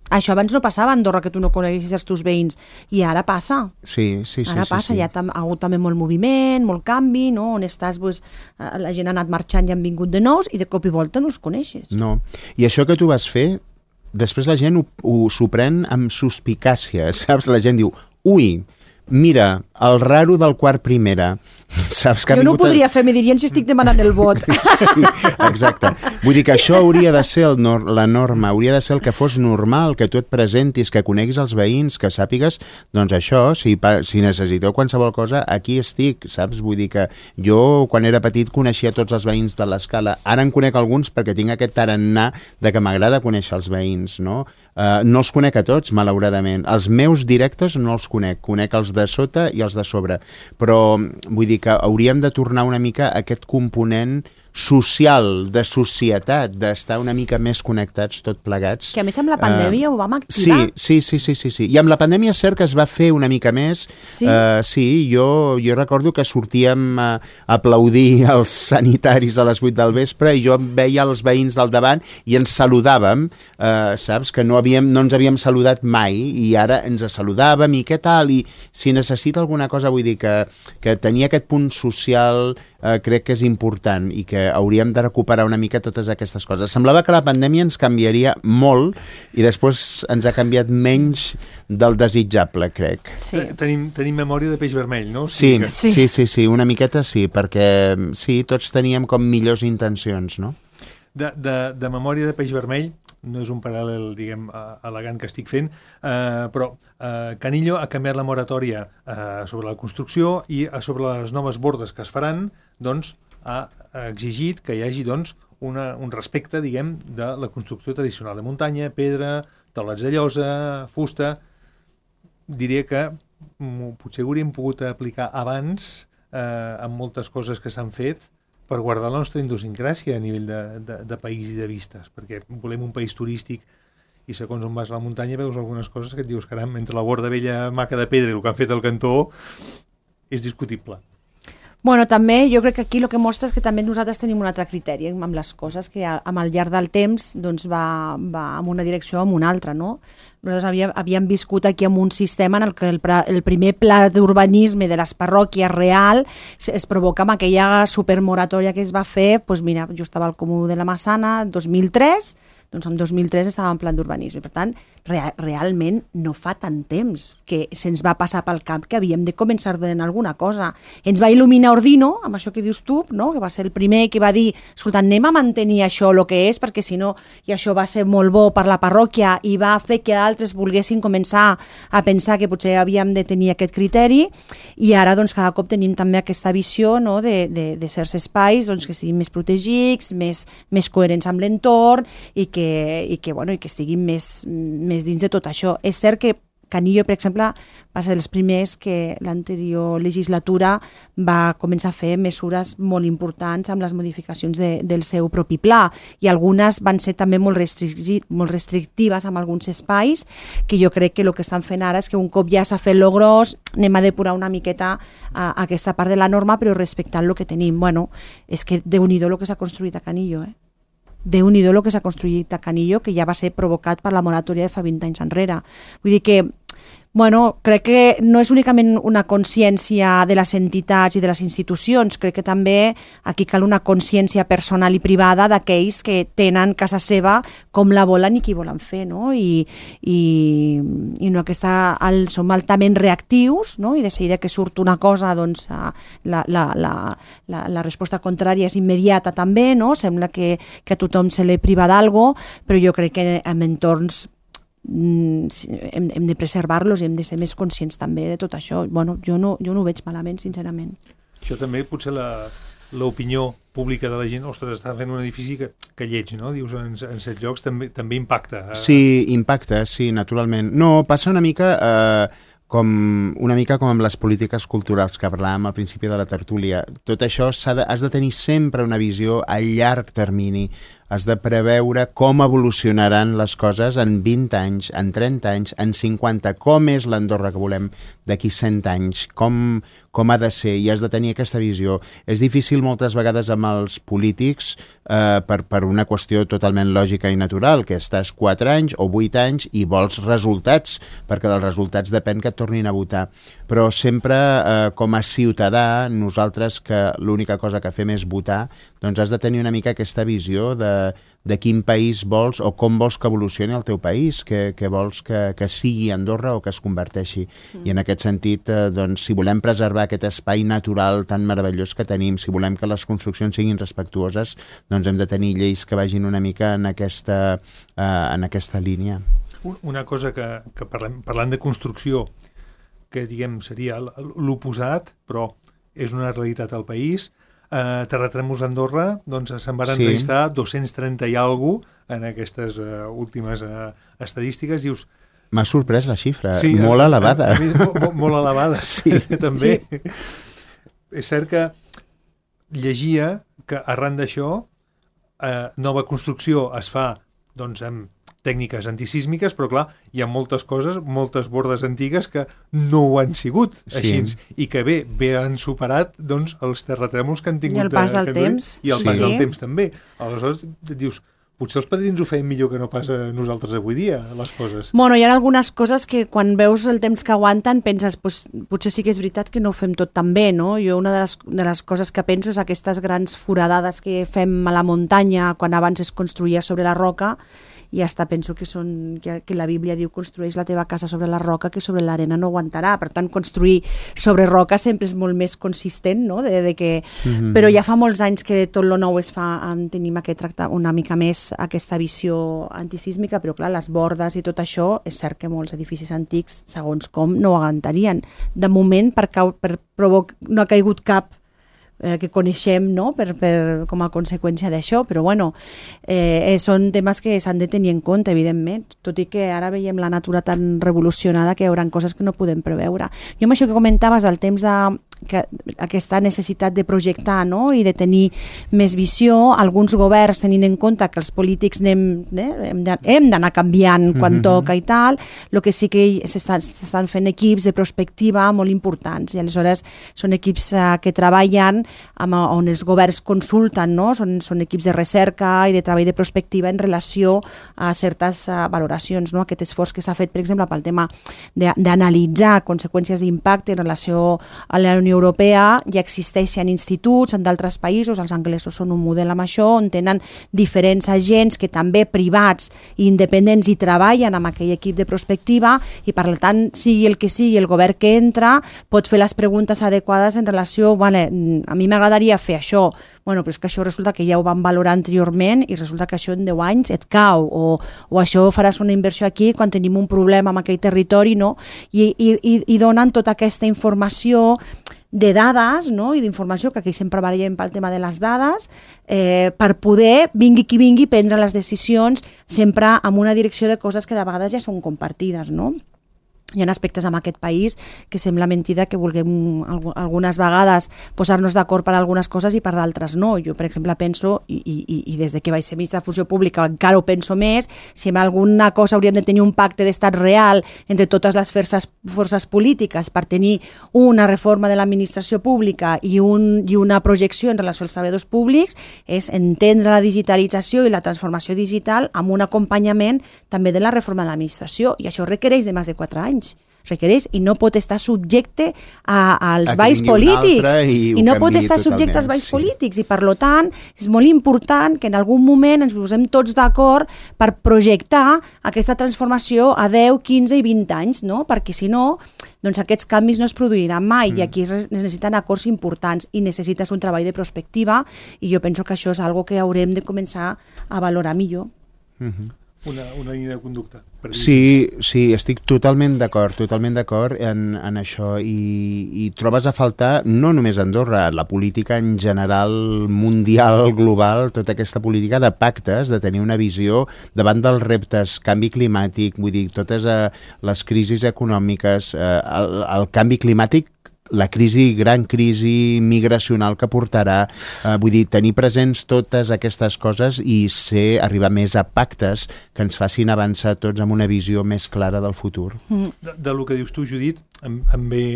Això abans no passava a Andorra, que tu no coneguessis els teus veïns, i ara passa. Sí, sí, sí. Ara sí, passa, sí. hi ha, tam ha hagut també molt moviment, molt canvi, no? On estàs, pues, la gent ha anat marxant i han vingut de nous i de cop i volta no els coneixes. No. I això que tu vas fer, després la gent ho, ho s'ho pren amb suspicàcia, saps? La gent diu, ui, mira, el raro del quart primera. Saps que jo no ho podria fer, me dirien si estic demanant el vot. Sí, exacte. Vull dir que això hauria de ser el nor la norma, hauria de ser el que fos normal, que tu et presentis, que coneguis els veïns, que sàpigues, doncs això, si, si necessiteu qualsevol cosa, aquí estic, saps? Vull dir que jo, quan era petit, coneixia tots els veïns de l'escala. Ara en conec alguns perquè tinc aquest tarannà de que m'agrada conèixer els veïns, no? Uh, no els conec a tots, malauradament. Els meus directes no els conec. Conec els de sota i els de sobre. Però vull dir que hauríem de tornar una mica a aquest component social, de societat, d'estar una mica més connectats tot plegats. Que a més amb la pandèmia uh, ho vam activar. Sí, sí, sí, sí, sí, sí. I amb la pandèmia és cert que es va fer una mica més. Sí, uh, sí jo, jo recordo que sortíem a aplaudir els sanitaris a les vuit del vespre i jo veia els veïns del davant i ens saludàvem, uh, saps? Que no, havíem, no ens havíem saludat mai i ara ens saludàvem i què tal? I si necessita alguna cosa, vull dir que, que tenir aquest punt social uh, crec que és important i que hauríem de recuperar una mica totes aquestes coses. Semblava que la pandèmia ens canviaria molt i després ens ha canviat menys del desitjable, crec. Sí. Tenim, tenim memòria de peix vermell, no? Sí, Que... sí, sí, sí, una miqueta sí, perquè sí, tots teníem com millors intencions, no? De, de, de memòria de peix vermell, no és un paral·lel, diguem, elegant que estic fent, eh, però eh, Canillo ha canviat la moratòria eh, sobre la construcció i sobre les noves bordes que es faran, doncs, ha exigit que hi hagi doncs, una, un respecte, diguem, de la construcció tradicional de muntanya, pedra, taulats de llosa, fusta. Diria que potser hauríem pogut aplicar abans eh, amb moltes coses que s'han fet per guardar la nostra idiosincràsia a nivell de, de, de país i de vistes, perquè volem un país turístic i segons on vas a la muntanya veus algunes coses que et dius, caram, entre la borda vella maca de pedra i el que han fet al cantó és discutible. Bueno, també jo crec que aquí el que mostra és que també nosaltres tenim un altre criteri amb les coses que amb el llarg del temps doncs va, va en una direcció o en una altra, no? Nosaltres havíem, havíem viscut aquí amb un sistema en el que el, el primer pla d'urbanisme de les parròquies real es, es provoca amb aquella supermoratòria que es va fer, doncs mira, jo estava al Comú de la Massana, dos mil tres, doncs en dos mil tres estava en pla d'urbanisme. Per tant, real, realment no fa tant temps que se'ns va passar pel cap que havíem de començar a donar alguna cosa. Ens va il·luminar Ordino, amb això que dius tu, no? Que va ser el primer que va dir, escolta, anem a mantenir això el que és, perquè si no, i això va ser molt bo per la parròquia i va fer que altres volguessin començar a pensar que potser havíem de tenir aquest criteri, i ara doncs cada cop tenim també aquesta visió, no? de, de, de certs espais doncs, que estiguin més protegits, més, més coherents amb l'entorn i que, i que, bueno, i que estiguin més, més dins de tot això. És cert que Canillo, per exemple, va ser dels primers que l'anterior legislatura va començar a fer mesures molt importants amb les modificacions de, del seu propi pla, i algunes van ser també molt, restricti molt restrictives amb alguns espais, que jo crec que el que estan fent ara és que un cop ja s'ha fet lo gros, anem a depurar una miqueta a, a aquesta part de la norma, però respectant el que tenim. Bueno, és que déu-n'hi-do el que s'ha construït a Canillo, eh? Déu-n'hi-do el que s'ha construït a Canillo, que ja va ser provocat per la moratòria de fa vint anys enrere. Vull dir que, bueno, crec que no és únicament una consciència de les entitats i de les institucions, crec que també aquí cal una consciència personal i privada d'aquells que tenen casa seva com la volen i qui volen fer, no? I, i, i no aquesta, el, som altament reactius, no? I de seguida que surt una cosa, doncs la, la, la, la, la resposta contrària és immediata també, no? Sembla que, que a tothom se li priva d'algo, però jo crec que en entorns hem, hem de preservar-los i hem de ser més conscients també de tot això. Bueno, jo no, jo no ho veig malament, sincerament. Això també potser la, l'opinió pública de la gent, ostres, està fent un edifici que, que lleig, no? Dius, en, en set llocs també, també impacta. Sí, impacta, sí, naturalment. No, passa una mica... Eh, com una mica com amb les polítiques culturals que parlàvem al principi de la tertúlia. Tot això de, has de tenir sempre una visió a llarg termini. Has de preveure com evolucionaran les coses en vint anys, en trenta anys, en cinquanta. Com és l'Andorra que volem d'aquí cent anys? Com, com ha de ser? I has de tenir aquesta visió. És difícil moltes vegades amb els polítics eh, per, per una qüestió totalment lògica i natural, que estàs quatre anys o vuit anys i vols resultats, perquè dels resultats depèn que et tornin a votar. Però sempre, eh, com a ciutadà, nosaltres que l'única cosa que fem és votar, doncs has de tenir una mica aquesta visió de, de quin país vols o com vols que evolucioni el teu país, que, que vols que, que sigui Andorra o que es converteixi. Mm. I en aquest sentit, eh, doncs, si volem preservar aquest espai natural tan meravellós que tenim, si volem que les construccions siguin respectuoses, doncs hem de tenir lleis que vagin una mica en aquesta, eh, en aquesta línia. Una cosa que, que parlem, parlant de construcció, que diguem seria l'oposat, però és una realitat al país. Eh, terratrèmols d'Andorra, doncs se'n van entrevistar sí. dos-cents trenta i alguna cosa en aquestes uh, últimes uh, estadístiques. Dius... M'ha sorprès la xifra, sí, molt a, elevada. A, a mi, molt, molt elevada, sí, també. Sí. És cert que llegia que arran d'això eh, nova construcció es fa doncs, amb tècniques antisísmiques, però clar, hi ha moltes coses, moltes bordes antigues que no ho han sigut així, sí. I que bé, bé han superat doncs, els terratrèmols que han tingut. I el pas del temps. I el sí. pas del temps també. Aleshores, dius, potser els padrins ho feien millor que no pas a nosaltres avui dia, les coses. Bueno, hi ha algunes coses que quan veus el temps que aguanten penses, pues, potser sí que és veritat que no ho fem tot tan bé, no? Jo una de les, de les coses que penso és aquestes grans foradades que fem a la muntanya quan abans es construïa sobre la roca, i hasta penso que, són, que, que la Bíblia diu construeix la teva casa sobre la roca que sobre l'arena no aguantarà, per tant construir sobre roca sempre és molt més consistent, no? de, de que... mm-hmm. Però ja fa molts anys que tot lo nou es fa, tenim aquest tracte una mica més aquesta visió antisísmica, però clar, les bordes i tot això, és cert que molts edificis antics, segons com, no ho aguantarien. De moment, per, cau, per provoc, no ha caigut cap Eh, que coneixem, no? per, per, com a conseqüència d'això, però bueno, eh, són temes que s'han de tenir en compte, evidentment, tot i que ara veiem la natura tan revolucionada que hi haurà coses que no podem preveure. Jo amb això que comentaves, el temps de que, aquesta necessitat de projectar, no? I de tenir més visió, alguns governs tenint en compte que els polítics anem, eh, hem d'anar canviant quan mm-hmm. toca i tal, el que sí que s'estan fent equips de prospectiva molt importants, i aleshores són equips eh, que treballen amb, on els governs consulten, no? Són, són equips de recerca i de treball de prospectiva en relació a certes uh, valoracions, no? Aquest esforç que s'ha fet, per exemple, pel tema d'analitzar conseqüències d'impacte en relació a la Unió Europea, ja existeixen instituts en d'altres països, els anglesos són un model amb això, on tenen diferents agents que també privats i independents hi treballen amb aquell equip de prospectiva, i per tant, sigui el que sigui el govern que entra, pot fer les preguntes adequades en relació, vale, a mi m'agradaria fer això, bueno, però és que això resulta que ja ho van valorar anteriorment i resulta que això en deu anys et cau, o, o això faràs una inversió aquí quan tenim un problema en aquell territori, no? I, i, i donen tota aquesta informació de dades, no? I d'informació, que aquí sempre variem pel tema de les dades, eh, per poder, vingui qui vingui, prendre les decisions sempre amb una direcció de coses que de vegades ja són compartides, no? Hi ha aspectes en aquest país que sembla mentida que vulguem algunes vegades posar-nos d'acord per algunes coses i per d'altres no. Jo, per exemple, penso, i, i, i des de que vaig ser ministra de Funció Pública encara ho penso més, si en alguna cosa hauríem de tenir un pacte d'estat real entre totes les forces, forces polítiques per tenir una reforma de l'administració pública i, un, i una projecció en relació als treballadors públics, és entendre la digitalització i la transformació digital amb un acompanyament també de la reforma de l'administració, i això requereix de més de quatre anys. Requereix, i no pot estar subjecte a, als balls polítics i, i no pot estar subjecte als balls sí. polítics, i per tant és molt important que en algun moment ens posem tots d'acord per projectar aquesta transformació a deu, quinze i vint anys, no? Perquè si no, doncs aquests canvis no es produiran mai, mm. i aquí es necessiten acords importants i necessites un treball de prospectiva, i jo penso que això és algo que haurem de començar a valorar millor. Mm-hmm. una, una línia de conducta. Sí, sí, estic totalment d'acord, totalment d'acord en, en això i, i trobes a faltar no només a Andorra, la política en general, mundial, global, tota aquesta política de pactes, de tenir una visió davant dels reptes, canvi climàtic, vull dir, totes eh, les crisis econòmiques, eh, el, el canvi climàtic, la crisi, gran crisi migracional que portarà, eh, vull dir, tenir presents totes aquestes coses i ser, arribar més a pactes que ens facin avançar tots amb una visió més clara del futur. Mm. De, de lo que dius tu, Judit, em, em ve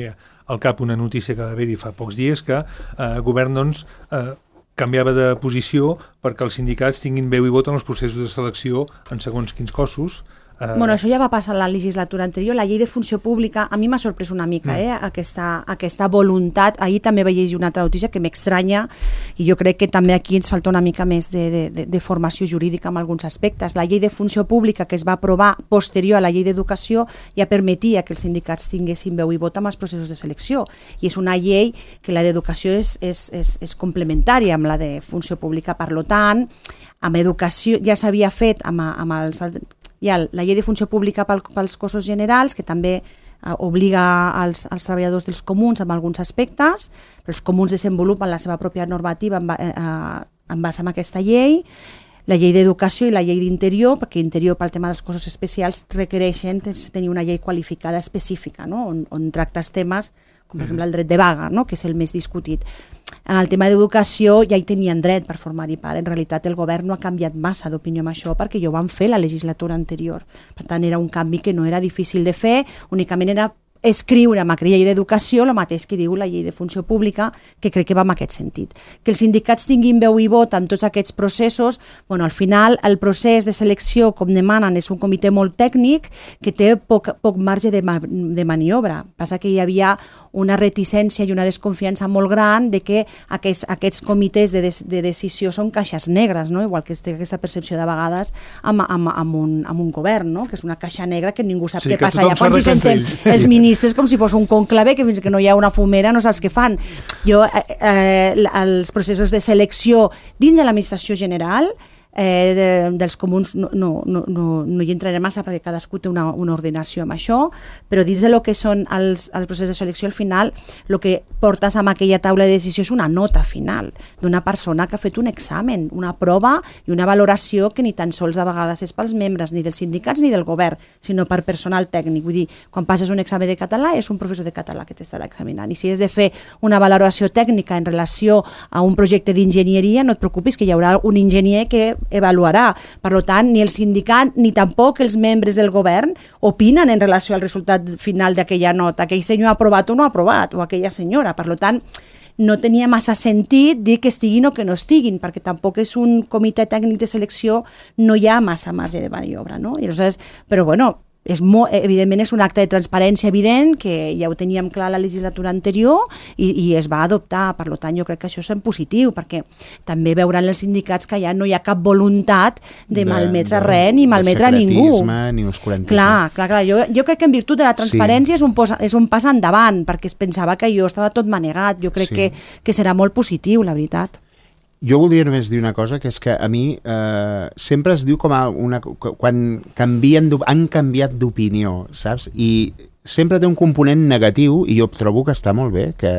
al cap una notícia que va haver-hi fa pocs dies que eh, el govern, doncs, eh, canviava de posició perquè els sindicats tinguin veu i vot en els processos de selecció en segons quins cossos. Uh... Bueno, això ja va passar la legislatura anterior. La llei de funció pública, a mi m'ha sorprès una mica, eh, aquesta, aquesta voluntat. Ahir també vaig llegir una altra notícia que m'estranya i jo crec que també aquí ens falta una mica més de, de, de formació jurídica en alguns aspectes. La llei de funció pública que es va aprovar posterior a la llei d'educació ja permetia que els sindicats tinguessin veu i vot amb els processos de selecció i és una llei que la d'educació és, és, és, és complementària amb la de funció pública. Per tant, amb educació ja s'havia fet amb, amb els... Hi ha la llei de funció pública pel, pels cossos generals, que també eh, obliga als, als treballadors dels comuns en alguns aspectes, però els comuns desenvolupen la seva pròpia normativa en, eh, en base a aquesta llei, la llei d'educació i la llei d'interior, perquè interior pel tema dels cossos especials requereixen tenir una llei qualificada específica, no? on, on tractes temes com per exemple el dret de vaga, no? Que és el més discutit. En el tema d'educació ja hi tenien dret per formar-hi part. En realitat el govern no ha canviat massa d'opinió amb això perquè ja ho van fer la legislatura anterior. Per tant, era un canvi que no era difícil de fer, únicament era escriure amb aquella llei d'educació el mateix que diu la llei de funció pública, que crec que va en aquest sentit. Que els sindicats tinguin veu i vot en tots aquests processos, bueno, al final el procés de selecció, com demanen, és un comitè molt tècnic que té poc, poc marge de, ma de maniobra. Passa que hi havia una reticència i una desconfiança molt gran de que aquests, aquests comitès de, de, de decisió són caixes negres, no? Igual que té aquesta percepció de vegades amb, amb, amb, un, amb un govern, no? Que és una caixa negra que ningú sap sí, què passa allà quan s'hi senten sí. els ministres com si fos un conclave que fins que no hi ha una fumera no saps què fan. Jo, eh, eh, els processos de selecció dins de l'administració general Eh, de, dels comuns no, no, no, no hi entraré massa perquè cadascú té una, una ordenació amb això, però dins de lo que són els, els processos de selecció al final el que portes amb aquella taula de decisió és una nota final d'una persona que ha fet un examen, una prova i una valoració que ni tan sols a vegades és pels membres ni dels sindicats ni del govern, sinó per personal tècnic. Vull dir, quan passes un examen de català és un professor de català que t'estarà examinant i si has de fer una valoració tècnica en relació a un projecte d'enginyeria no et preocupis que hi haurà un enginyer que evaluarà. Per tant, ni el sindicat ni tampoc els membres del govern opinen en relació al resultat final d'aquella nota. Aquell senyor ha aprovat o no ha aprovat, o aquella senyora. Per tant, no tenia massa sentit dir que estiguin o que no estiguin, perquè tampoc és un comitè tècnic de selecció, no hi ha massa marge de maniobra, no? I aleshores, però bueno, és molt, evidentment és un acte de transparència evident que ja ho teníem clar la legislatura anterior i, i es va adoptar. Per tant, jo crec que això és en positiu perquè també veuran els sindicats que ja no hi ha cap voluntat de, de malmetre de, res ni malmetre a ningú. Ni oscurantisme. Clar, clar, clar. Jo, jo crec que en virtut de la transparència sí. és, un posa, és un pas endavant perquè es pensava que jo estava tot manegat. Jo crec sí. que, que serà molt positiu, la veritat. Jo voldria només dir una cosa, que és que a mi eh, sempre es diu com a una, quan canvien, han canviat d'opinió, saps? I sempre té un component negatiu i jo trobo que està molt bé, que,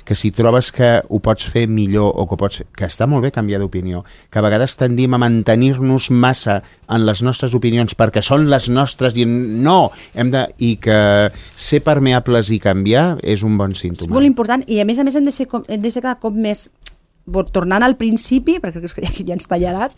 que si trobes que ho pots fer millor o que, pots, que està molt bé canviar d'opinió, que a vegades tendim a mantenir-nos massa en les nostres opinions perquè són les nostres i no, hem de, i que ser permeables i canviar és un bon símptoma. És molt important i a més a més hem de ser, hem de ser cada cop més tornant al principi, perquè crec que ja ens tallaràs,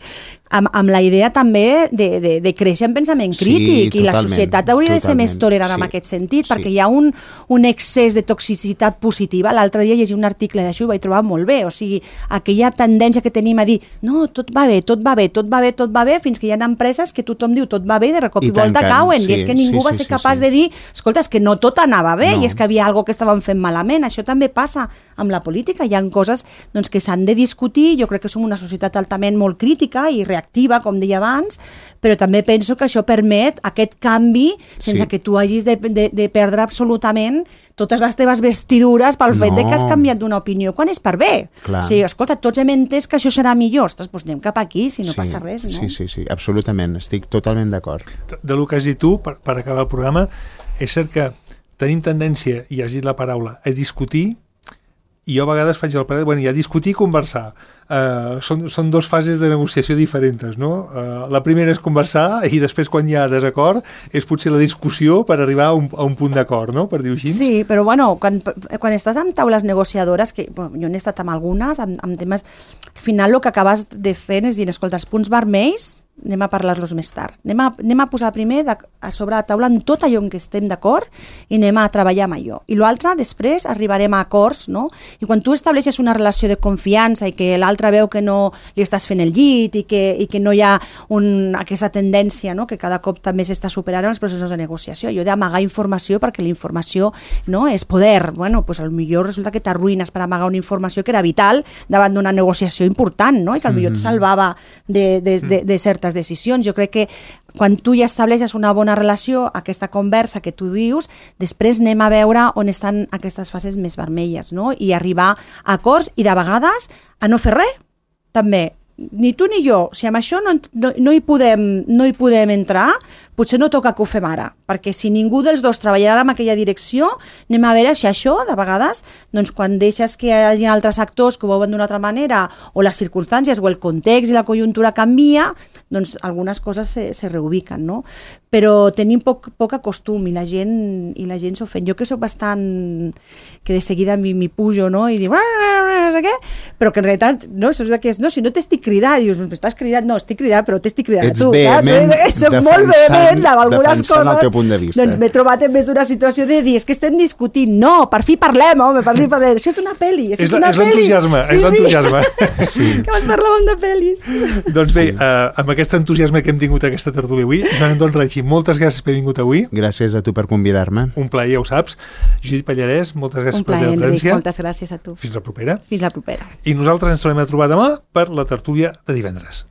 amb, amb la idea també de, de, de créixer en pensament crític sí, i la societat hauria de ser més tolerant sí, en aquest sentit, sí. perquè hi ha un, un excés de toxicitat positiva. L'altre dia llegia un article d'això i ho vaig trobar molt bé, o sigui, aquella tendència que tenim a dir no, tot va bé, tot va bé, tot va bé, tot va bé, fins que hi ha empreses que tothom diu tot va bé, de recop i, i volta cauen, sí, i és que ningú sí, va ser sí, capaç sí, sí. de dir, escolta, és que no tot anava bé, no. i és que havia alguna que estaven fent malament. Això també passa amb la política, hi ha coses doncs, que s'han s'han de discutir. Jo crec que som una societat altament molt crítica i reactiva, com deia abans, però també penso que això permet aquest canvi sense Sí. que tu hagis de, de, de perdre absolutament totes les teves vestidures pel fet No. de que has canviat d'una opinió, quan és per bé. Clar. O sigui, escolta, tots hem entès que això serà millor. Ostres, doncs anem cap aquí, si no sí, passa res, no? Sí, sí, sí, absolutament, estic totalment d'acord. De lo que has dit tu, per, per acabar el programa, és cert que tenim tendència, i has dit la paraula, a discutir, i jo a vegades faig el parer, bueno, ja discutir i conversar. Uh, són, són dues fases de negociació diferents, no? Uh, la primera és conversar i després, quan hi ha desacord, és potser la discussió per arribar a un, a un punt d'acord, no? Per dir-ho així. Sí, però bueno, quan, quan estàs amb taules negociadores, que bueno, jo n'he estat amb algunes, amb, amb temes... Al final el que acabes de fer és dir, escolta, els punts vermells anem a parlar-los més tard. Anem a, anem a posar primer de, a sobre la taula en tot allò en què estem d'acord i anem a treballar amb allò. I l'altre, després, arribarem a acords, no? I quan tu estableixes una relació de confiança i que l'altre veu que no li estàs fent el llit i que, i que no hi ha un, aquesta tendència, no? Que cada cop també s'està superant en els processos de negociació. Jo he d'amagar informació perquè la informació, no? És poder. Bueno, pues potser resulta que t'arruïnes per amagar una informació que era vital davant d'una negociació important, no? I que potser et salvava de, de, de, de certes decisions. Jo crec que quan tu ja estableixes una bona relació, aquesta conversa que tu dius, després anem a veure on estan aquestes fases més vermelles, no? I arribar a acords i de vegades a no fer res, també. Ni tu ni jo, si amb això no, no, no, hi podem, no hi podem entrar, potser no toca que ho fem ara, perquè si ningú dels dos treballarà en aquella direcció, anem a veure si això, de vegades, doncs quan deixes que hi hagi altres actors que ho veuen d'una altra manera, o les circumstàncies, o el context i la conjuntura canvia, doncs algunes coses se, se reubiquen, no? Però tenim poc, poc acostum i la gent, i la gent s'ofèn. Jo que soc bastant... que de seguida m'hi pujo, no? I dic... no sé què, però que en realitat, no, això és que és, no, si no t'estic cridat, dius, m'estàs cridat, no, estic cridat, però t'estic cridat Ets tu. vehement Soc, soc molt vehement amb algunes defensant coses. el teu punt de vista. Doncs m'he trobat en més d'una situació de dir, és que estem discutint, no, per fi parlem, home, per fi parlem. Això és una pel·li, això és, És, una és pel·li. l'entusiasme, és l'entusiasme. Sí. Que abans parlàvem de pel·lis. Doncs bé, uh, amb aquest entusiasme que hem tingut aquesta tertúlia avui, Joan Anton Reig, moltes gràcies per haver vingut avui. Gràcies a tu per convidar-me. Un plaer, ja ho saps. Judit Pallarès, moltes gràcies Un per la plaer, teva Enric, presència. moltes gràcies a tu. Fins la propera. Fins la propera. I nosaltres ens tornem a trobar demà per la tertúlia de divendres.